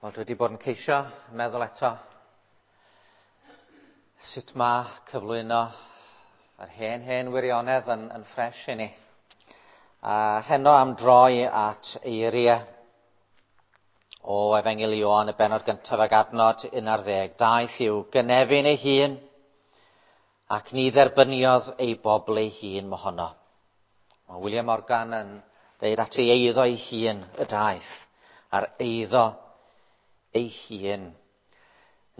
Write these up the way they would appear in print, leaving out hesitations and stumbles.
Wel, dwi wedi bod yn ceisio meddwl eto sut mae cyflwyno yr hen, hen wirionedd yn, yn ffres i ni. A heno am droi at eiriau o Efengyl Ioan, y bennod gyntaf ag adnod 11. Daeth i'w gynefin ei hun, ac ni dderbyniodd ei bobl ei hun mohono. Mae William Morgan yn dweud at ei eiddo ei hun y daeth, a'r eiddo ei hun,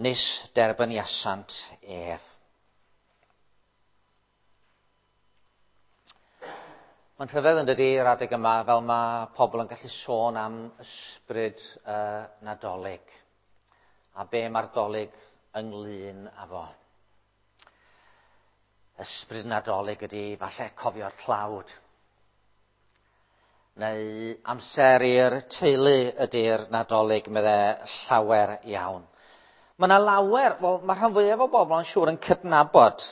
nis derbyniasant ef. Mae'n rhyfedd yn dydy yr adeg yma fel mae pobl yn gallu sôn am ysbryd uh, Nadolig a be mae'r dolig ynglyn â fo. Ysbryd Nadolig ydy falle cofio'r tlawd, neu amser i'r teulu ydy'r Nadolig, medde llawer iawn. Mae yna lawer, wel, mae rhan fwyaf o bobl yn siŵr yn cydnabod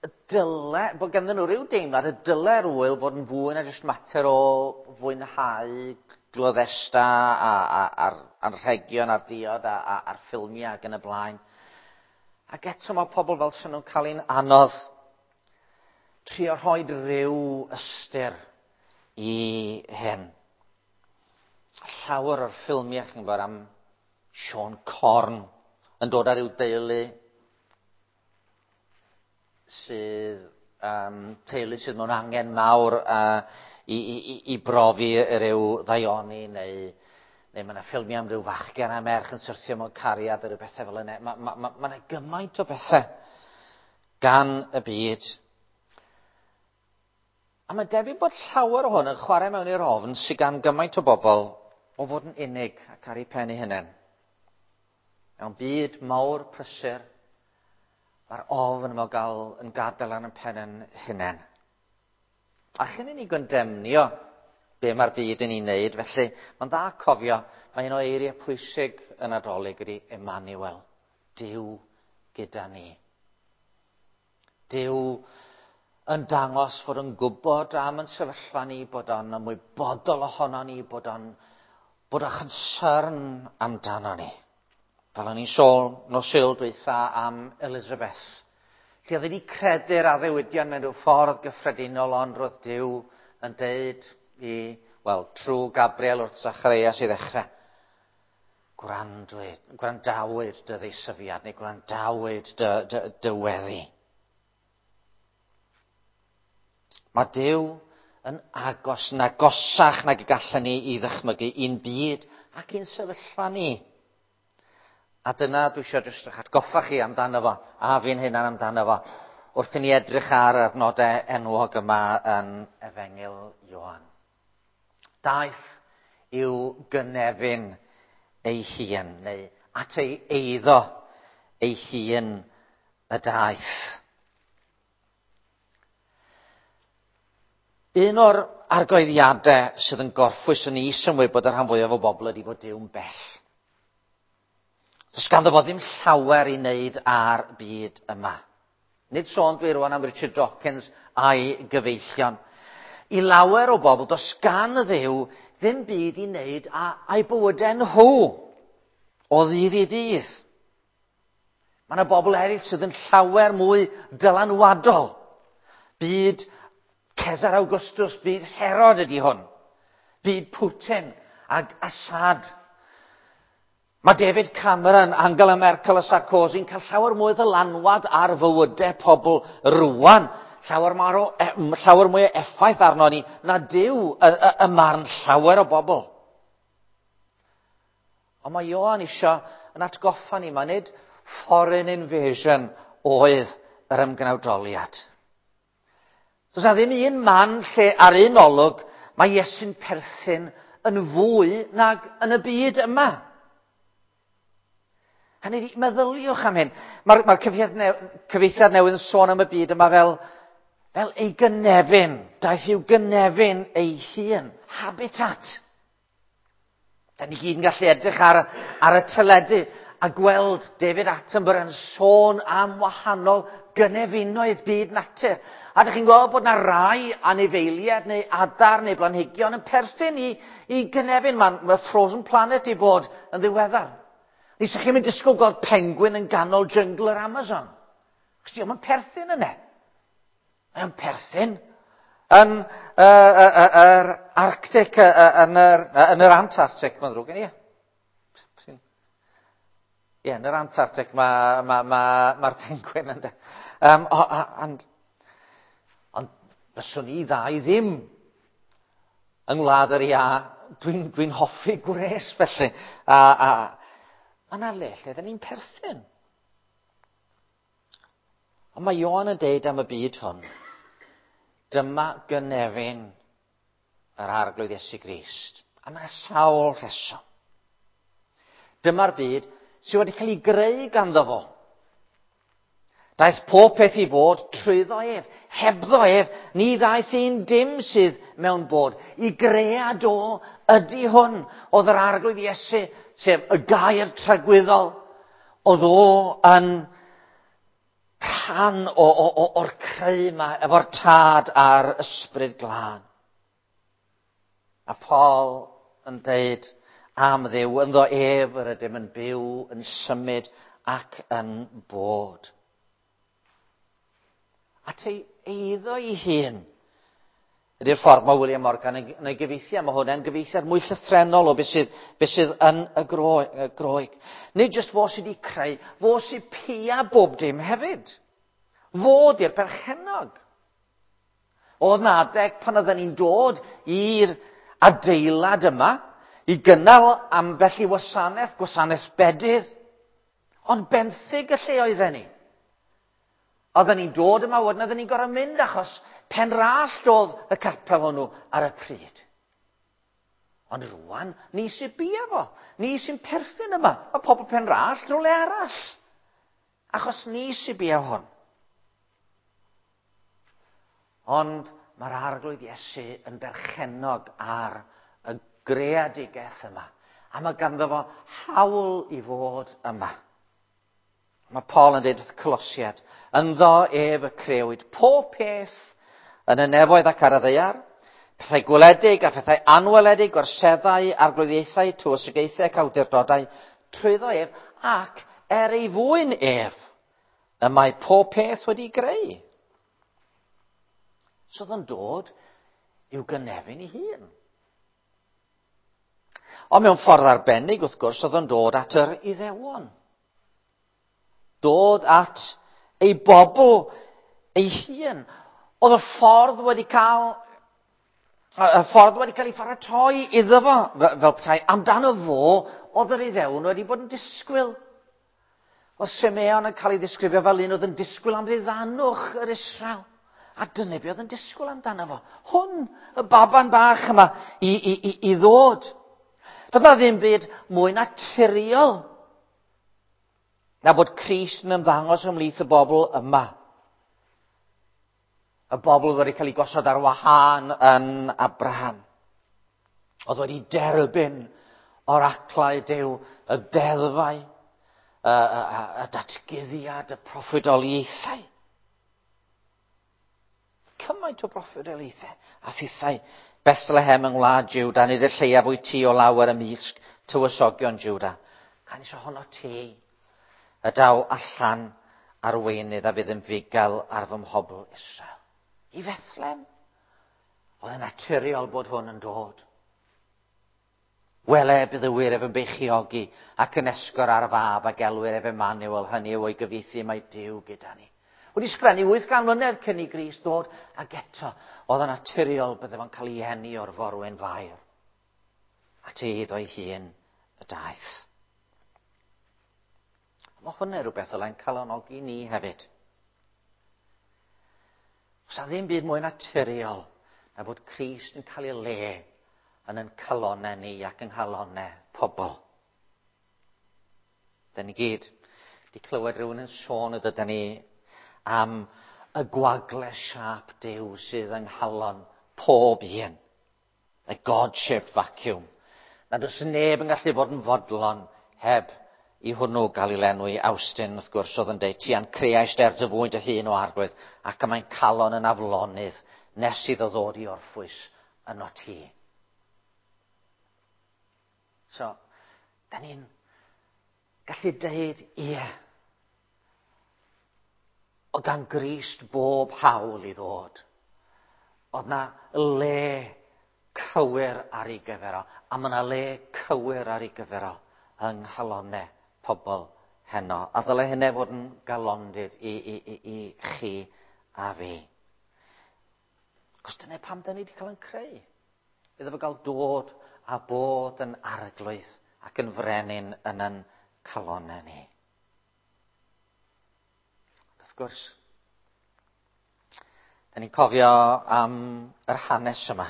y dyle, bod ganddyn nhw rhyw deimlad y dyle'r ŵyl fod yn fwy na jyst mater o fwynhau gloddesta a, a, a'r anrhegion a'r diod a, a, a'r ffilmiau ac yn y blaen. Ac eto mae pobl fel sy'n nhw'n cael ein anodd trio rhoi rhyw ystyr i hyn. Llawer o'r ffilmiau, chi'n gwybod, am Siôn Corn yn dod ar ryw deulu sydd, um, teulu sydd mewn angen mawr uh, i, i, i brofi rhyw ddaioni neu, neu mae yna ffilmiau am ryw fachgen a merch yn syrthio mewn cariad a rhyw bethau fel yna. Mae ma, ma, ma yna gymaint o bethau gan y byd. A mae'n debyg bod llawer o hwn yn chwarae mewn i'r ofn sydd gan gymaint o bobl o fod yn unig ac ar eu pen eu hunain. Mewn byd mawr prysur, mae'r ofn yma o gael yn gadael ar ein pen yn hunain. A chyn i ni gondemnio be mae'r byd yn ei wneud, felly mae'n dda cofio, mae un o eiriau pwysig y Nadolig ydy Emmanuel, Duw gyda ni. Duw yn dangos fod yn gwybod am yn sefyllfa ni, bod o'n ymwybodol ohono ni, bod o'n bod o'n concern amdano ni. Fel o'n i'n sôn nos Sul dwytha am Elizabeth. Lle oedd wedi credu'r addewidion mewn rhyw ffordd gyffredinol, ond roedd Duw yn deud i, wel, trwy Gabriel wrth Zacharias i ddechrau, gwrandwyd, gwrandawyd dy ddeisyfiad neu gwrandawyd dy, dy, dy weddi. Mae Duw yn agos, yn agosach nag y gallen ni i ddychmygu i'n byd ac i'n sefyllfa ni. A dyna dwi eisiau jyst eich atgoffa chi amdano fo, a fi'n hunan amdano fo, wrth i ni edrych ar yr adnodau enwog yma yn Efengyl Ioan. Daeth i'w gynefin ei hun, neu at ei eiddo ei hun y daeth. Un o'r argoeddiadau sydd yn gorffwys yn is yn wybod y rhan fwyaf o bobl ydy fod Duw'n bell. Does ganddo fo ddim llawer i wneud ar byd yma. Nid sôn dwi rwan am Richard Dawkins a'i gyfeillion. I lawer o bobl, does gan y Dduw ddim byd i wneud â'i bywydau nhw o ddydd i ddydd. Mae yna bobl eraill sydd yn llawer mwy dylanwadol. Byd Cesar Augustus, byd Herod ydy hwn. Byd Putin ag Assad. Mae David Cameron, Angela Merkel a Sarkozy yn cael llawer mwy o ddylanwad ar fywydau pobl rwan. Llawer, mawr o, llawer mwy o effaith arno ni na Duw y, y, y marn llawer o bobl. Ond mae Ioan isio yn atgoffa ni, mae nid foreign invasion oedd yr ymgnawdoliad. Does na ddim un man lle ar un olwg mae Iesu'n perthyn yn fwy nag yn y byd yma. Hynny ydi, meddyliwch am hyn. Mae'r mae cyfieithiad newydd yn sôn am y byd yma fel, fel ei gynefin. Daeth i'w gynefin ei hun. Habitat. Da ni gyd yn gallu edrych ar, ar y teledu a gweld David Attenborough yn sôn am wahanol gynefinoedd byd natur. A dych chi'n gweld bod yna rai anifeiliaid neu adar neu blanhigion yn perthyn i gynefin. Mae Frozen Planet i bod yn ddiweddar. Ni sa'ch chi'n mynd disgwyl gweld penguin yn ganol jyngl yr Amazon. Chos dio'm yn perthyn yna. Mae o'n perthyn yn yr Arctic, yn yr Antarctic, mae'n ddrwg gen i. Ie, yn yr Antarctic mae'r penguin yn de. Ond fyswn i ddau ddim yng Ngwlad yr Iâ. Dwi'n hoffi gwres felly. A mae yna le lle dyn ni'n perthyn. Ond mae Ioan yn deud am y byd hwn, dyma gynefin yr Arglwydd Iesu Grist. A mae yna sawl rheswm. Dyma'r byd sydd wedi cael ei greu ganddo fo. Daeth pob peth i fod trwyddo ef. Hebddo ef, ni ddaeth un dim sydd mewn bod. I gread o ydy hwn. Oedd yr Arglwydd Iesu, sef y gair tragwyddol, oedd o yn rhan o'r creu yma, efo'r Tad a'r Ysbryd Glân. A Paul yn deud am Dduw, ynddo ef yr ydym yn byw, yn symud ac yn bod. At ei eiddo ei hun. Ydy'r ffordd mae William Morgan yn ei gyfieithu, a mae hwnna'n gyfieithiad mwy llythrennol o beth sydd yn y Groeg. Nid jyst fo sydd wedi creu, fo sydd pia bob dim hefyd. Fo di'r perchennog. Oedd 'na adeg pan oedden ni'n dod i'r adeilad yma i gynnal ambell i wasanaeth, gwasanaeth bedydd, ond benthyg y lle oedden ni. Oedden ni'n dod yma, wedyn oedden ni'n gorfod mynd achos Penrallt oedd y capel hwnnw ar y pryd. Ond rwan, ni sy'n bia fo. Ni sy'n perthyn yma. Mae pobl Penrallt rhywle arall. Achos ni sy'n bia hwn. Ond mae'r Arglwydd Iesu yn berchennog ar y greadigaeth yma. A mae ganddo fo hawl i fod yma. Mae Paul yn dweud wrth Colosiad, ynddo ef y crewyd pob peth yn y nefoedd ac ar y ddaear, pethau gweledig a phethau anweledig, gorseddau, arglwyddiaethau, tywysogaethau ac awdurdodau, trwyddo ef ac er ei fwyn ef, y mae pob peth wedi greu. So oedd o'n dod i'w gynefin ei hun. Ond mewn ffordd arbennig, wrth gwrs, oedd o'n dod at yr Iddewon. Dod at ei bobl ei hun. Oedd y ffordd wedi cael ei pharatoi iddo fo, fel petai amdano fo, oedd yr Iddewon wedi bod yn disgwyl. Oedd Simeon yn cael ei ddisgrifio fel un oedd yn disgwyl am ddiddanwch yr Israel. A dyna be oedd yn disgwyl amdano fo. Hwn, y baban bach yma, i ddod. Doedd 'na ddim byd mwy naturiol na bod Crist yn ymddangos ymhlith y bobl yma. Y bobl wedi cael ei gosod ar wahân yn Abraham. Oedd wedi derbyn oraclau Duw, y deddfau, y datguddiad, y proffwydoliaethau. Cymaint o broffwydoliaethau a thithau. Bethlehem yng ngwlad Juda, nid y lleiaf wyt ti o lawer ymysg tywysogion Juda. Canys ohono ti y daw allan arweinydd a fydd yn fugail ar fy mhobl Israel. I Fethlem, oedd yn naturiol bod hwn yn dod. Wele, bydd y wir ef yn beichiogi ac yn esgor ar fab a gelwir ef Emmanuel, hynny yw o'i gyfieithu mae Duw gyda ni. Wedi sgrennu 800 mlynedd cyn i Grist ddod, ac eto, oedd yn naturiol bydde fo'n cael ei eni o'r forwyn fair. At ei iddo ei hun y daeth. Mae hwnna rhywbeth oedd yn calonogi ni hefyd. Oes 'na ddim byd mwy naturiol na bod Crist yn cael ei le yn ein calonnau ni ac yng nghalonnau pobl. Da ni gyd wedi clywed rhywun yn sôn ydyn ni am y gwagle siâp Duw sydd yng nghalon pob un. Y God-shaped vacuum. Nad oes neb yn gallu bod yn fodlon heb i hwnnw gael ei lenwi. Awstin, wrth gwrs, oedd yn deud, ti a'n creais der dy fwyn dy hun o arglwydd, ac y mae'n calon yn aflonydd nes iddo ddod i orffwys yno ti. So, da ni'n gallu deud, ie, o gan Grist bob hawl i ddod. Oedd na le cywir ar ei gyfer o, a mae yna le cywir ar ei gyfer o yng nghalonau pobl heno. A ddyle hynny fod yn galondid i, i, i, i chi a fi. Cos dyna pam da ni wedi cael yn creu. Iddo fo gael dod a bod yn arglwydd ac yn frenin yn yn calonau ni. Wrth gwrs, da ni'n cofio am yr hanes yma.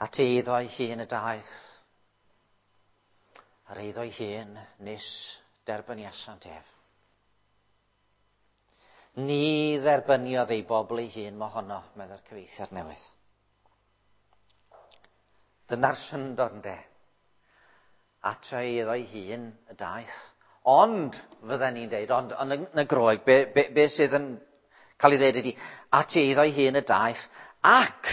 At eiddo ei hun y daeth. Ar eiddo ei hun nis derbyniasant ef. Ni dderbyniodd ei bobl ei hun mohono, meddai'r cyfeithiad newydd. Dyna'r syndod ynde. At ei iddo ei hun y daeth. Ond, fydden ni'n deud, ond yn y Groeg, be, be, be sydd yn cael ei ddeud ydy, at ei iddo ei hun y daeth, ac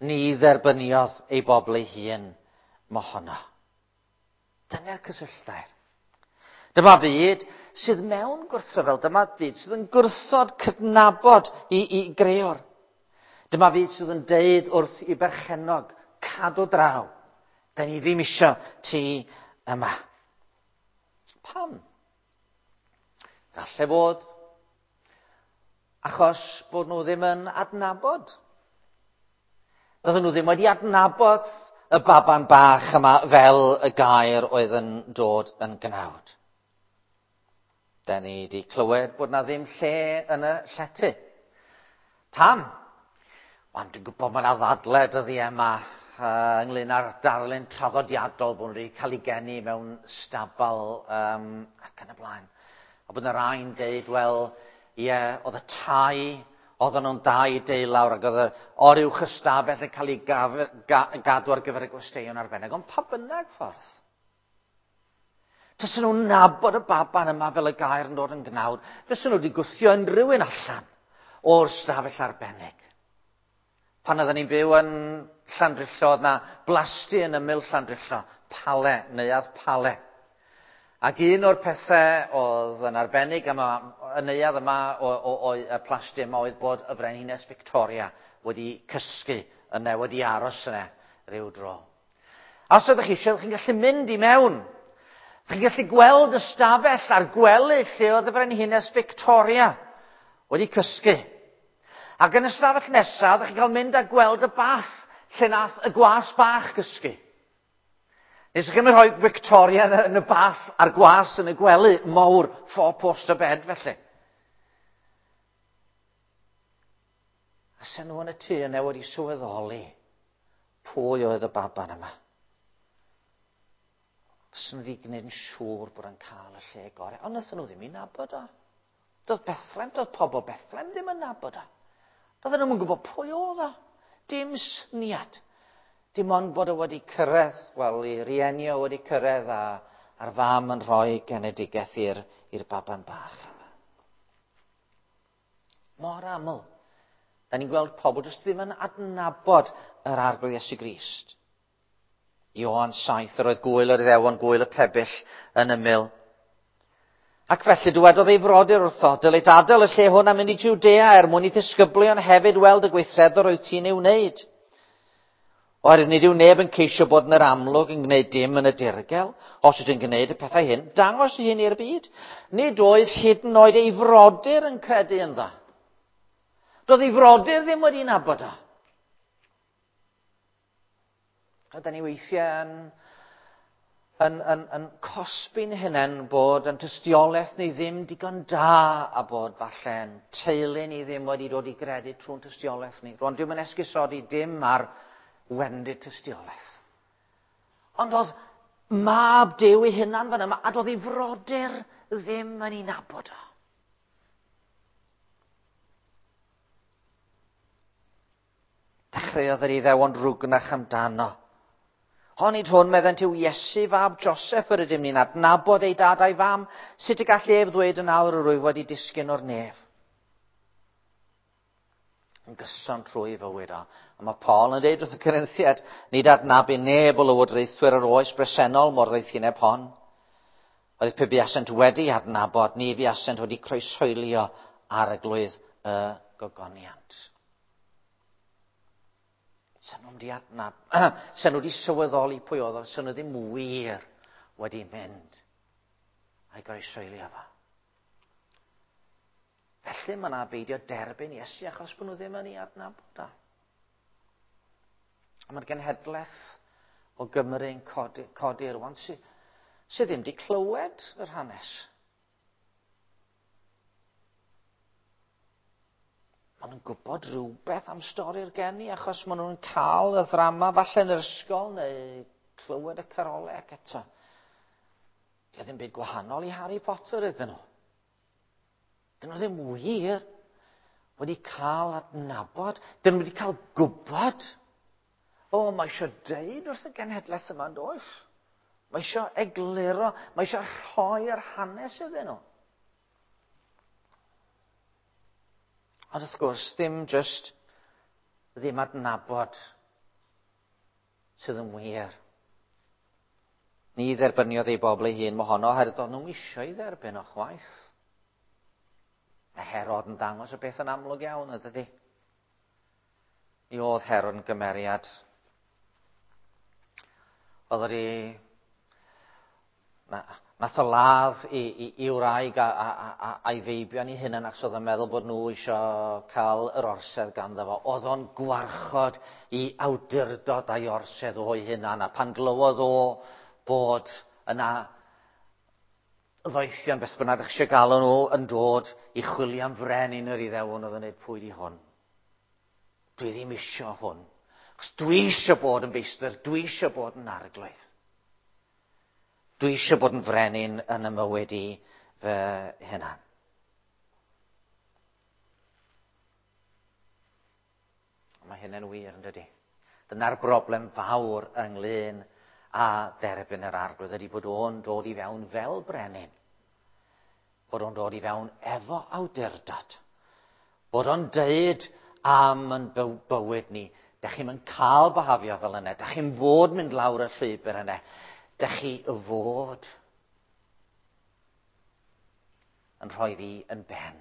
ni dderbyniodd ei bobl ei hun mohono. Dyna'r cysylltair. Dyma fyd sydd mewn gwrthryfel. Dyma fyd sydd yn gwrthod cydnabod i, i greor. Dyma fyd sydd yn deud wrth i berchennog, cadw draw. Da ni ddim isio ti yma. Pam? Galle fod achos bod nhw ddim yn adnabod. Doedden nhw ddim wedi adnabod y baban bach yma fel y gair oedd yn dod yn gnawd. Da ni wedi clywed bod na ddim lle yn y llety. Pam? Ond dwi'n gwybod mae yna ddadle dyddiau yma ynglyn â'r darlun traddodiadol bod nhw wedi cael ei geni mewn stabal um, ac yn y blaen. A bod yna rai'n deud, wel, ie, yeah, oedd y tai, oedden nhw'n dau deulawr ac oedd y oruwch ystafell yn cael ei gaf, ga, gadw ar gyfer y gwesteion arbennig. Ond pa bynnag ffordd? Fysen nhw'n nabod y baban yma fel y gair yn dod yn gnawd. Fysen nhw wedi gwthio unrhyw un allan o'r stafell arbennig. Pan oedden ni'n byw yn Llandrillo, oedd na blasty yn ymyl Llandrillo, Pale, neuadd Pale. Ac un o'r pethau oedd yn arbennig am y neuadd yma o, o, o, y plasty yma oedd bod y Frenhines Victoria wedi cysgu yna, wedi aros yna rhyw dro. A os ydych chi eisiau, chi'n gallu mynd i mewn. Chi'n gallu gweld y stafell a'r gwely lle oedd y Frenhines Victoria wedi cysgu. Ac yn y stafell nesaf, ydych chi'n cael mynd a gweld y bath lle nath y gwas bach gysgu. Nes chi'n rhoi Victoria yn y, yn y bath a'r gwas yn y gwely mawr, four-poster bed felly. A sen nhw yn y tŷ yna wedi sylweddoli pwy oedd y baban yma. Fysen nhw wedi gwneud yn siŵr bod yn cael y lle gorau. Ond wnaethon nhw ddim i nabod o. Doedd Bethlehem, doedd pobl Bethlehem ddim yn nabod o. Doedden nhw'n gwybod pwy oedd o. Dim syniad. Dim ond bod o wedi cyrraedd, wel, i rieni o wedi cyrraedd a, a'r fam yn rhoi genedigaeth i'r, i'r baban bach yma. Mor aml. Da ni'n gweld pobl jyst ddim yn adnabod yr arglwydd Iesu Grist. Ioan 7, yr oedd gwyl yr Iddewon, gwyl y pebyll yn ymyl. Ac felly dywedodd ei frodyr wrtho, dylid adael y lle hwn a mynd i Jwdea er mwyn i ddisgyblion hefyd weld y gweithredwr oedd ti'n ei wneud. Oherwydd nid yw neb yn ceisio bod yn yr amlwg yn gwneud dim yn y dirgel. Os ydyn gwneud y pethau hyn, dangos ei hun i'r byd. Nid oedd hyd yn oed ei frodyr yn credu ynddo. Doedd ei frodyr ddim wedi nabod o. A da ni weithiau yn, yn, yn, yn cosbi'n hunain bod yn tystiolaeth ni ddim digon da a bod falle'n teulu ni ddim wedi dod i gredu trwy'n tystiolaeth ni. Rwan, dwi'n yn esgusodi dim ar wendid tystiolaeth. Ond oedd mab Duw ei hunan fan yma, a doedd ei frodyr ddim yn ei nabod o. Dechreuodd yr Iddewon rwgnach amdano. Onid hwn, meddent, yw Iesu fab Joseph yr ydym ni'n adnabod ei dad a'i fam, sut y gall ef ddweud yn awr yr wyf wedi disgyn o'r nef? Yn gyson trwy fywyd o. A mae Paul yn dweud wrth y Corinthiaid, nid adnabu neb o lywodraethwyr yr oes bresennol mor ddoethineb hon. Oedd pe buasent wedi adnabod, ni fuasent wedi croeshoelio arglwydd y gogoniant. Sen nhw'n di adnab... Sen nhw wedi sylweddoli pwy oedd o, sen nhw ddim wir wedi mynd a'i groeshoelio fo. Felly mae yna beidio derbyn Iesu achos bod nhw ddim yn ei adnabod o. A mae'r genhedlaeth o Gymru yn codi, codi rwan sydd, sy ddim wedi clywed yr hanes. Maen nhw'n gwybod rhywbeth am stori'r geni achos maen nhw'n cael y ddrama falle yn yr ysgol neu clywed y carolau ac eto. Di ddim byd gwahanol i Harry Potter iddyn nhw. Dyn nhw ddim wir wedi cael adnabod. Dyn nhw wedi cael gwybod. O, mae eisiau deud wrth y genhedlaeth yma, yn does? Mae eisiau egluro, mae eisiau rhoi'r hanes iddyn nhw. Ond wrth gwrs, ddim just ddim adnabod sydd yn wir. Ni dderbyniodd ei bobl ei hun mohono, oherwydd doedd nhw'n eisiau ei dderbyn o chwaith. Mae Herod yn dangos y beth yn amlwg iawn, ydydi? Mi oedd Herod yn gymeriad. Oedd wedi... Na, nath o ladd i, i, i wraig a, a, a, a'i feibion i hunan achos oedd o'n meddwl bod nhw eisiau cael yr orsedd ganddo fo. Oedd o'n gwarchod i awdurdod a'i orsedd o'i hunan, a pan glywodd o bod yna ddoethion, beth bynnag ydych eisiau galw nhw, yn dod i chwilio am frenin yr Iddewon, oedd yn dweud, pwy di hwn? Dwi ddim isio hwn. Achos dwi eisiau bod yn feistr, dwi eisiau bod yn arglwydd. Dwi eisiau bod yn frenin yn y mywyd i fy hunan. Mae hynny'n wir, yn dydy? Dyna'r broblem fawr ynglyn â derbyn yr arglwydd ydy bod o'n dod i fewn fel brenin. Bod o'n dod i fewn efo awdurdod. Bod o'n deud am yn bywyd ni, dych chi'm yn cael byhafio fel yna, dych chi'n fod mynd lawr y llwybr yna, dych chi fod yn rhoi fi yn ben.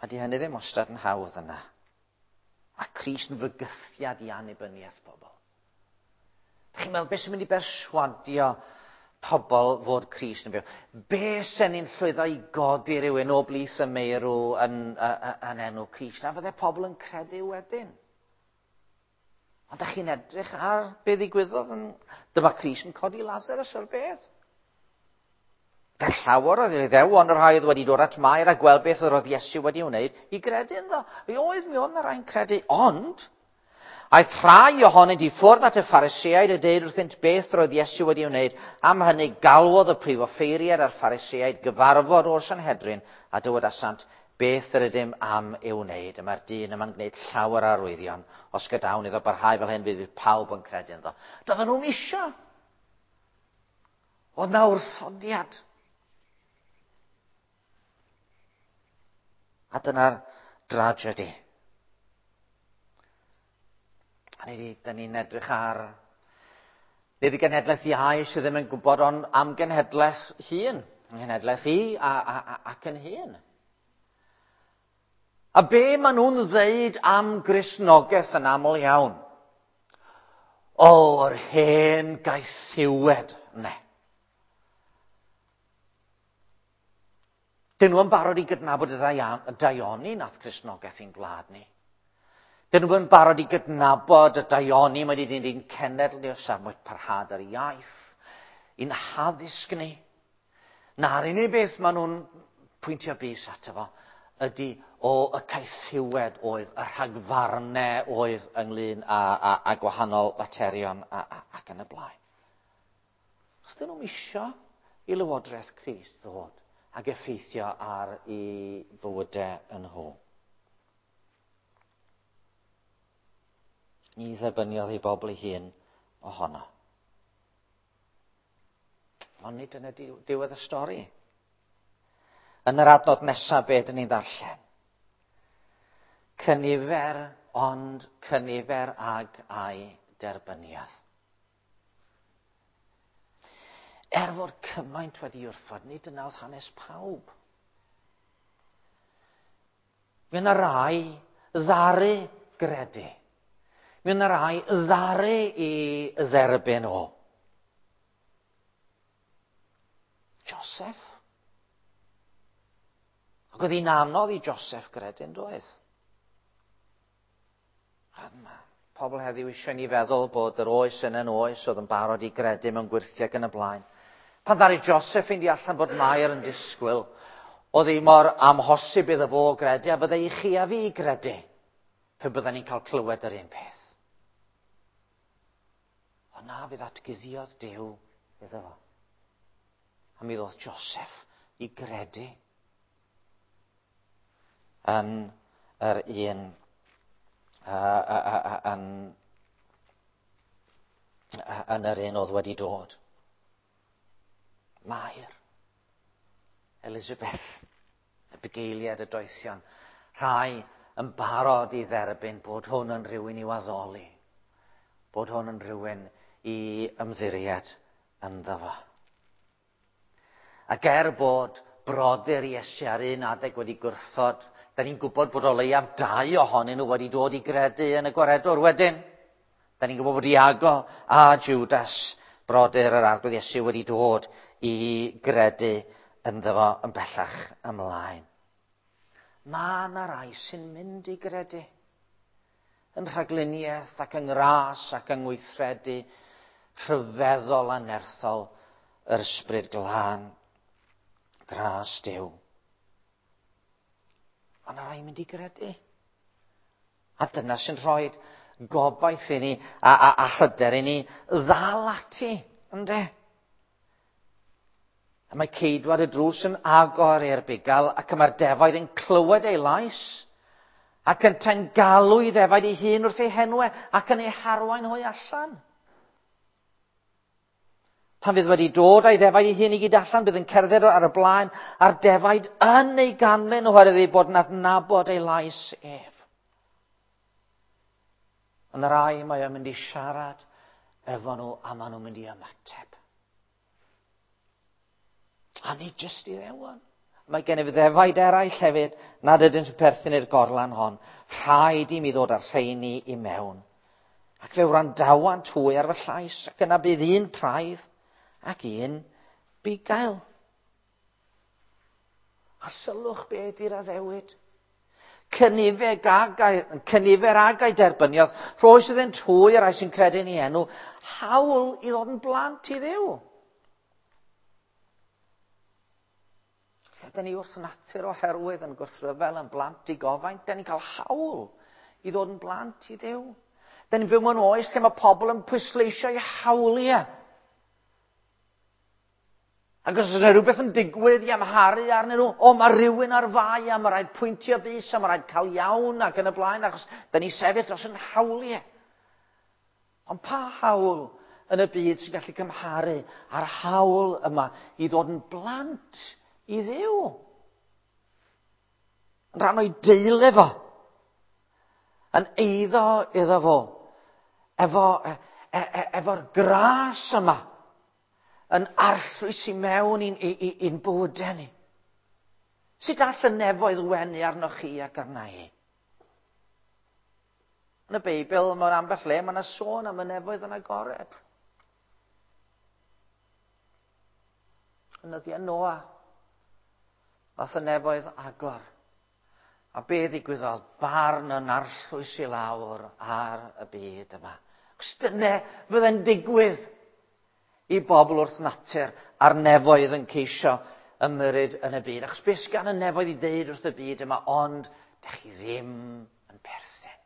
A di hynny ddim wastad yn hawdd yna. A Crist yn fygythiad i annibyniaeth pobl. Dych chi'n meddwl, beth sy'n mynd i berswadio pobl fod Crist yn byw? Be sy'n ni'n llwyddo i godi rhywun o blith y meirw yn, yn, yn enw Crist? A fydde pobl yn credu wedyn? Ond ydych chi'n edrych ar be ddigwyddodd yn... Dyma Crist yn codi Lazarus o'r bedd. Gael llawer oedd Iddewon y rhai oedd wedi dod at Mair a gweld beth yr oedd Iesu wedi wneud i gredu ynddo. Mi oedd, mi oedd yna rhai'n credu, ond aeth rhai ohonynt i ffwrdd at y Phariseaid a deud wrthynt beth roedd Iesu wedi wneud. Am hynny galwodd y prif offeiriad a'r Phariseaid gyfarfod o'r Sanhedrin a dywedasant beth yr ydym am ei wneud. Y mae'r dyn yma'n gwneud llawer o arwyddion. Os gadawn iddo barhau fel hyn, fydd pawb yn credu ynddo. Doedden nhw'n isio. Oedd na wrthodiad. A dyna'r dragedy. A ni, da ni'n edrych ar... Nid y genhedlaeth iau sydd ddim yn gwybod, ond am genhedlaeth hun. Nghenhedlaeth i a, a, a, ac yn hun. A be maen nhw'n ddeud am Gristnogaeth yn aml iawn? O, yr hen gaethiwed, ne. Dyn nhw yn barod i gydnabod y daioni nath Cristnogaeth i'n gwlad ni. Dyn nhw yn barod i gydnabod y daioni mae wedi dyn cenedl ni o safbwynt parhad yr iaith, i'n haddysg ni. Na'r unig beth maen nhw'n pwyntio bys ato fo ydy o y caethiwed oedd, y rhagfarnau oedd ynglyn â, â, â gwahanol faterion a, a, ac yn y blaen. Os dyn nhw'n isio i Lywodraeth Crist ddod ac effeithio ar eu bywydau yn nhw. Ni dderbyniodd ei bobl ei hun ohono. Ond nid dyna diwedd y stori. Yn yr adnod nesaf, be dyn ni'n ddarllen? Cynifer ond cynifer ag a'i derbyniodd. Er fod cymaint wedi wrthod, nid dyna oedd hanes pawb. Mi yna rai ddaru gredu. Mi yna rai ddaru i dderbyn o. Joseph. Ac oedd hi'n anodd i Joseph gredu, yn doedd? A mae pobl heddiw eisiau ni feddwl bod yr oes yn yn oes oedd yn barod i gredu mewn gwyrthiau ac yn y blaen. Pan ddaru Joseph fynd i allan bod Mair yn disgwyl, oedd hi mor amhosib iddo fo gredu a fydde i chi a fi gredu pe bydden ni'n cael clywed yr un peth. Ond na, fe ddatguddiodd Duw iddo fo. A mi ddoth Joseph i gredu yn yr un yn, yn yr un oedd wedi dod. Mair, Elizabeth, y bugeiliad y doethion, rhai yn barod i dderbyn bod hwn yn rhywun i'w addoli, bod hwn yn rhywun i ymddiried ynddo fo. Ac er bod brodyr Iesu ar un adeg wedi gwrthod, da ni'n gwybod bod o leiaf dau ohonyn nhw wedi dod i gredu yn y gwaredwr wedyn. Da ni'n gwybod bod Iago a Judas, brodyr yr Arglwydd Iesu, wedi dod i gredu ynddo fo yn bellach ymlaen. Mae yna rai sy'n mynd i gredu yn rhagluniaeth ac yng ngras ac yng ngweithredu rhyfeddol a nerthol yr Ysbryd Glân. Gras Duw. Mae yna rai mynd i gredu. A dyna sy'n rhoi gobaith i ni a hyder i ni ddal ati, ynde? A mae ceidwad y drws yn agor i'r bugail ac y mae'r defaid yn clywed ei lais ac yntau'n galw i ddefaid ei hun wrth ei henwe ac yn ei harwain hwy allan. Pan fydd wedi dod a'i ddefaid ei hun i gyd allan, bydd yn cerdded ar y blaen a'r defaid yn ei ganlyn oherwydd ei bod yn adnabod ei lais ef. Yn yr rai mae o'n mynd i siarad efo nhw a maen nhw'n mynd i ymateb. A nid jyst i ddewon. Mae gennyf ddefaid eraill hefyd nad ydynt yn perthyn i'r gorlan hon. Rhaid i mi ddod â'r rheini i mewn. Ac fe wrandawant hwy ar fy llais, ac yna bydd un praidd ac un bugail. A sylwch be ydy'r addewid. Cynifer agau derbyniodd, rhoes iddynt hwy y rhai sy'n credu yn ei enw, hawl i ddod yn blant i Dduw. Lle dyn ni wrth natur oherwydd yn gwrthryfel yn blant digofaint, dyn ni'n cael hawl i ddod yn blant i Dduw. Dyn ni'n byw mewn oes lle mae pobl yn pwysleisio eu hawliau. Ac os oes yna rhywbeth yn digwydd i amharu arnyn nhw, o, mae rhywun ar fai a mae rhaid pwyntio bys a mae rhaid cael iawn ac yn y blaen, achos dyn ni sefyll dros yn hawliau. Ond pa hawl yn y byd sy'n gallu cymharu â'r hawl yma i ddod yn blant i Dduw? Yn rhan o'i deulu fo. Yn eiddo iddo fo. Efo, e, e, e, efo'r gras yma. Yn arllwys i mewn i'n bywydau ni. Sut all y nefoedd wenu arnoch chi ac arna i? Yn y Beibl, mewn ambell le, mae yna sôn am y nefoedd yn agored. Yn nyddiau Noa, nath y nefoedd agor. A be ddigwyddodd? Barn yn arllwys i lawr ar y byd yma. Cos dyna fydde'n digwydd i bobl wrth natur a'r nefoedd yn ceisio ymyrryd yn y byd. Achos beth sydd gan y nefoedd i ddeud wrth y byd yma, ond dych chi ddim yn perthyn.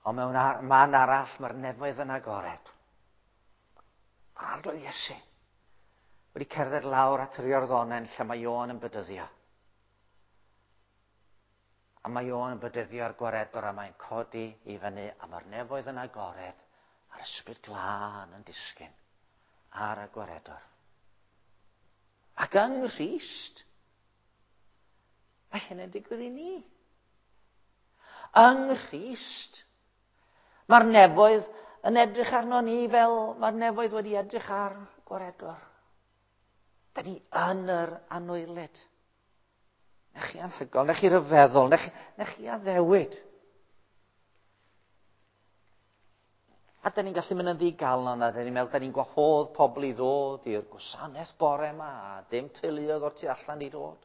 Ond mewn man arall mae'r nefoedd yn agored. Mae'r Arglwydd Iesu wedi cerdded lawr at yr Iorddonen lle mae Ioan yn bedyddio. A mae Ioan yn bedyddio'r gwaredwr a mae'n codi i fyny a mae'r nefoedd yn agored a'r Ysbryd Glân yn disgyn ar y gwaredwr. Ac yng Nghrist, mae hyn yn digwydd i ni. Yng Nghrist, mae'r nefoedd yn edrych arno ni fel mae'r nefoedd wedi edrych ar gwaredwr. Da ni yn yr anwylyd. Na chi anhygoel, na chi ryfeddol, na chi addewid. A da ni'n gallu mynd yn ddigalon, a da ni'n meddwl, da ni'n gwahodd pobl i ddod i'r gwasanaeth bore yma, a dim teuluoedd o'r tu allan i ddod.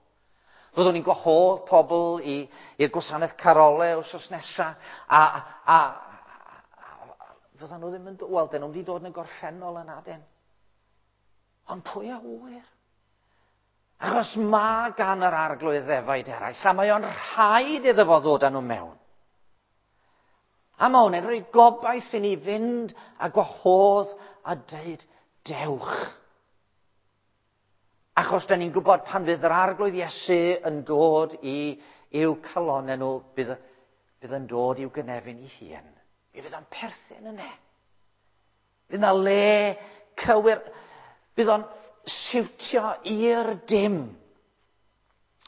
Fyddwn ni'n gwahodd pobl i'r gwasanaeth carole wrth nesaf, a fyddan nhw ddim yn dod, wel, dyn nhw'n wedi dod yn y gorffennol yn adyn. Ond pwy a ŵyr? Achos mae gan yr Arglwydd ddefaid eraill, a mae o'n rhaid iddo fo ddod â nhw mewn. A mae hwn yn rhoi gobaith i ni fynd a gwahodd a dweud, dewch. Achos da ni'n gwybod pan fydd yr Arglwydd Iesu yn dod i'w calonau nhw, bydd yn dod i'w gynefin i hun. Mi fydd o'n perthyn yna. Fydd yna le cywir. Bydd o'n siwtio i'r dim.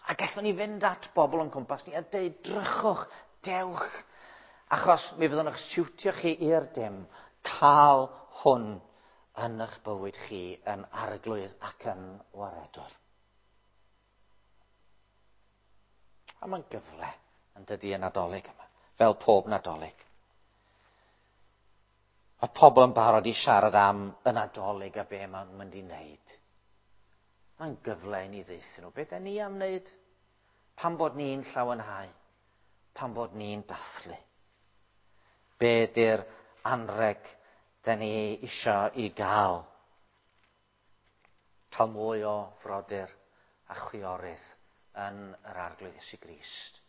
A gallwn ni fynd at bobl o'n cwmpas ni a dweud, drychwch, dewch. Achos mi fyddwn eich siwtio chi i'r dim. Cael hwn yn eich bywyd chi yn Arglwydd ac yn waredwr. A mae'n gyfle yn dydy y Nadolig yma, fel pob Nadolig. Mae pobl yn barod i siarad am y Nadolig a be mae'n mynd i wneud. Mae'n gyfle i ni ddeutho nhw. Be da ni am wneud? Pam bod ni'n llawenhau? Pam bod ni'n dathlu? Be di'r anreg da ni isio i gael? Cael mwy o frodyr a chwiorydd yn yr Arglwydd Iesu Grist.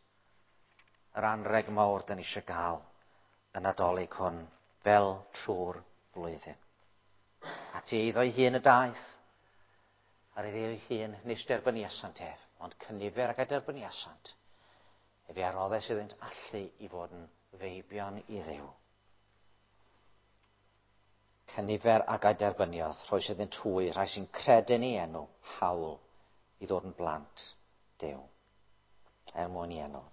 Yr anreg mawr da ni eisiau gael y Nadolig hwn fel trwy'r flwyddyn. At ei eiddo'i hun y daeth, ar ei ei hun nis derbyniasant ef, ond cynifer ac a derbyniasant, efe a roddes iddynt allu i fod yn feibion i Dduw. Cynifer ac a derbyniodd, rhoes iddynt hwy, rhai sy'n credu'n ei enw, hawl i ddod yn blant Duw. Er mwyn i enw.